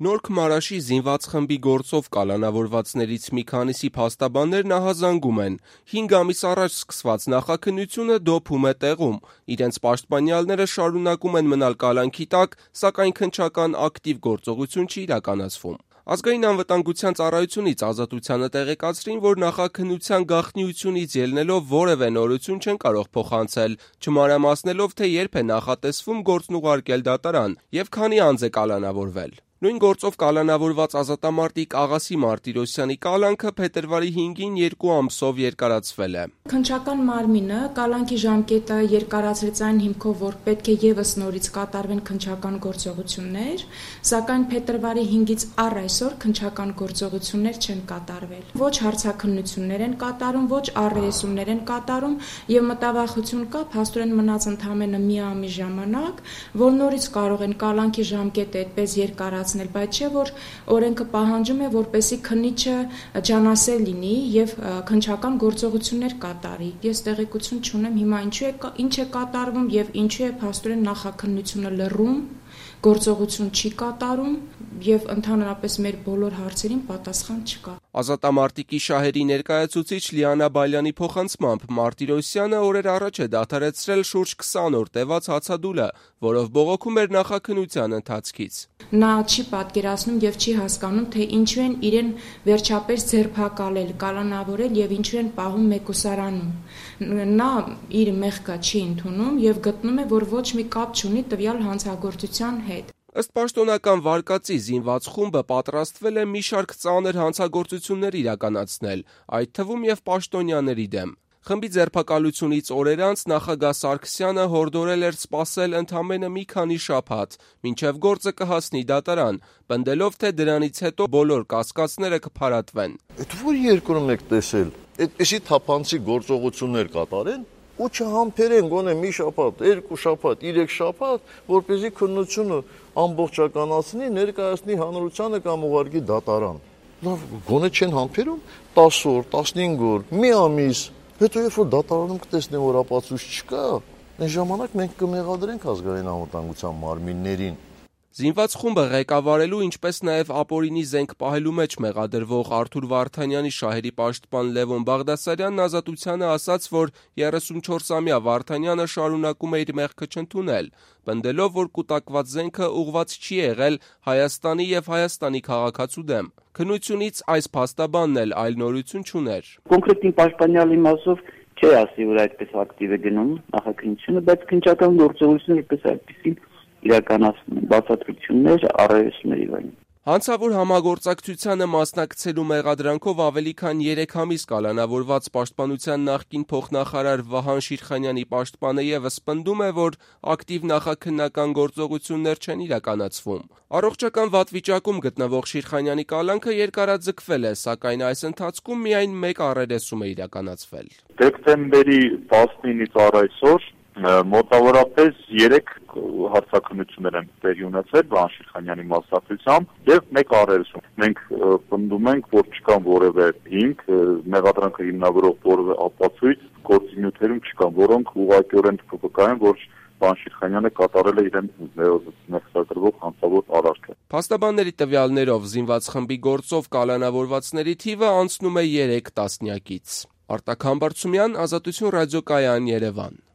Նոր Քմարաշի զինված խմբի գործով կալանավորվածներից մի քանիսի փաստաբաններն ահազանգում են. 5 ամիս առաջ սկսված նախաքննությունը դոփում է տեղում, իրենց պաշտպանյալները շարունակում են մնալ կալանքի տակ, սակայն քննչական ակտիվ գործողություն չի իրականացվում։ Ազգային անվտանգության ծառայությունից Ազատությանը տեղեկացրին, որ նախաքննության գաղտնիությունից ելնելով որևէ նորություն չեն կարող փոխանցել, չմանրամասնելով, թե երբ է նախատեսվում գործն ուղարկել դատարան եւ քանի անձ է կալանավորվել։ Նույն գործով կալանավորված ազատամարտիկ Աղասի Մարտիրոսյանի կալանքը փետրվարի 5-ին 2 ամսով երկարացվել է։ Քննչական մարմինը կալանքի ժամկետը երկարացրեց այն հիմքով, որ պետք է ևս նորից կատարվեն քննչական գործողություններ, սակայն փետրվարի 5-ից առ այսօր քննչական գործողություններ չեն կատարվել։ Ոչ հարցաքննություններ են կատարում, ոչ առերեսումներ են կատարում եւ մտավախություն կա փաստորեն մնաց ընդամենը մի ամիս ժամանակ, որ նորից կարող են կալանքի ժամկետը այդպես երկարացնել, բայց չէ որ օրենքը պահանջում է, որպեսզի քննիչը ջանասեր լինի եւ քննչական գործողություններ կատարի։ Ես տեղեկություն չունեմ հիմա ինչ է կատարվում եւ ինչու է փաստորեն նախաքննությունը լռում, գործողություն չի կատարում եւ ընդհանրապես մեր բոլոր հարցերին պատասխան չկա։ Ազատամարտիկի շահերի ներկայացուցիչ Լիանա Բալյանի փոխանցմամբ Մարտիրոսյանը օրեր առաջ է դադարեցրել շուրջ 20 օր տևած հացադուլը, որով բողոքում էր նախաքննության ընթացքից։ Նա չի պատկերացնում եւ չի հասկանում, թե ինչու են իրեն վերջապես ձերբակալել, կալանավորել եւ ինչու են պահում մեկուսարանում։ Նա իր մեղքը չի ընդունում եւ գտնում է, որ ոչ մի կապ չունի տվյալ հանցագործության հետ։ Ըստ պաշտոնական վարկածի զինված խումբը պատրաստվել է մի շարք ծանր հանցագործություններ իրականացնել, այդ թվում եւ պաշտոնյաների դեմ։ Խմբի ձերբակալությունից օրեր անց նախագահ Սարգսյանը հորդորել էր սպասել ընդամենը մի քանի շաբաթ, մինչև գործը կհասնի դատարան, պնդելով, թե դրանից հետո բոլոր կասկածները կփարատվեն։ Այդ որ երկրում եք տեսել, այդպիսի թափանցիկ գործողություններ կատարեն ու չհամբերեն գոնե մի շաբաթ, 2 շաբաթ, 3 շաբաթ, որպեսզի քննությունը ամբողջականացնի, ներկայացնի հանրությանը կամ ուղարկի դատարան։ Լավ, գոնե չեն համբերում 10 օր, 15 օր, մի ամիս։ Հետո երբ որ դատարանում կտեսնեն, որ ապացույց չկա, այն ժամանակ մենք կմեղադրենք ազգային անվտանգության մարմիններին։ Զինված խումբը ղեկավարելու, ինչպես նաև ապօրինի զենք պահելու մեջ մեղադրվող Արթուր Վարդանյանի շահերի պաշտպան Լևոն Բաղդասարյանն Ազատությանը ասաց, որ 34-ամյա Վարդանյանը շարունակում է իր մեղքը չընդունել, պնդելով, որ կուտակված զենքը ուղղված չի եղել Հայաստանի եւ Հայաստանի քաղաքացու դեմ։ Քննությունից այս փաստաբանն էլ այլ նորություն չուներ։ Կոնկրետ պաշտպանյալի մասով չի ասի, որ այդպես ակտիվ է գնում նախաքննությունը, բայց քննչական գործողությունները այդպես այդպեսին իրականացնում են բացատրություններ, առերեսումներ եւ այլն։ Հանցավոր համագործակցությանը մասնակցելու մեղադրանքով ավելի քան 3 ամիս կալանավորված պաշտպանության նախկին փոխնախարար Վահան Շիրխանյանի պաշտպանը եւս պնդում է, որ ակտիվ նախաքննական գործողություններ չեն իրականացվում։ Առողջական վատ վիճակում գտնվող Շիրխանյանի կալանքը երկարաձգվել է, սակայն այս ընթացքում միայն 1 առերեսում է իրականացվել։ Դեկտեմբերի 19-ից առ այսօր մոտավորապես 3 հարցաքննություններ են տեղի ունեցել Վահան Շիրխանյանի մասնակցությամբ եւ 1 առերեսում։ Մենք պնդում ենք, որ չկան որևէ հիմք, մեղադրանքը հիմնավորող որևէ ապացույց գործունեությունում չկան, որոնք ուղղակիորեն փոխկայեն, որ Վահան Շիրխանյանը կատարել է իրեն ներկայացրող հանցավոր արարքը։ Փաստաբանների տվյալներով զինված խմբի գործով կալանավորվածների թիվը անցնում է 3 տասնյակից։ Արտակ Համբարձումյան, Ազատություն ռադիոկայան, Երևան։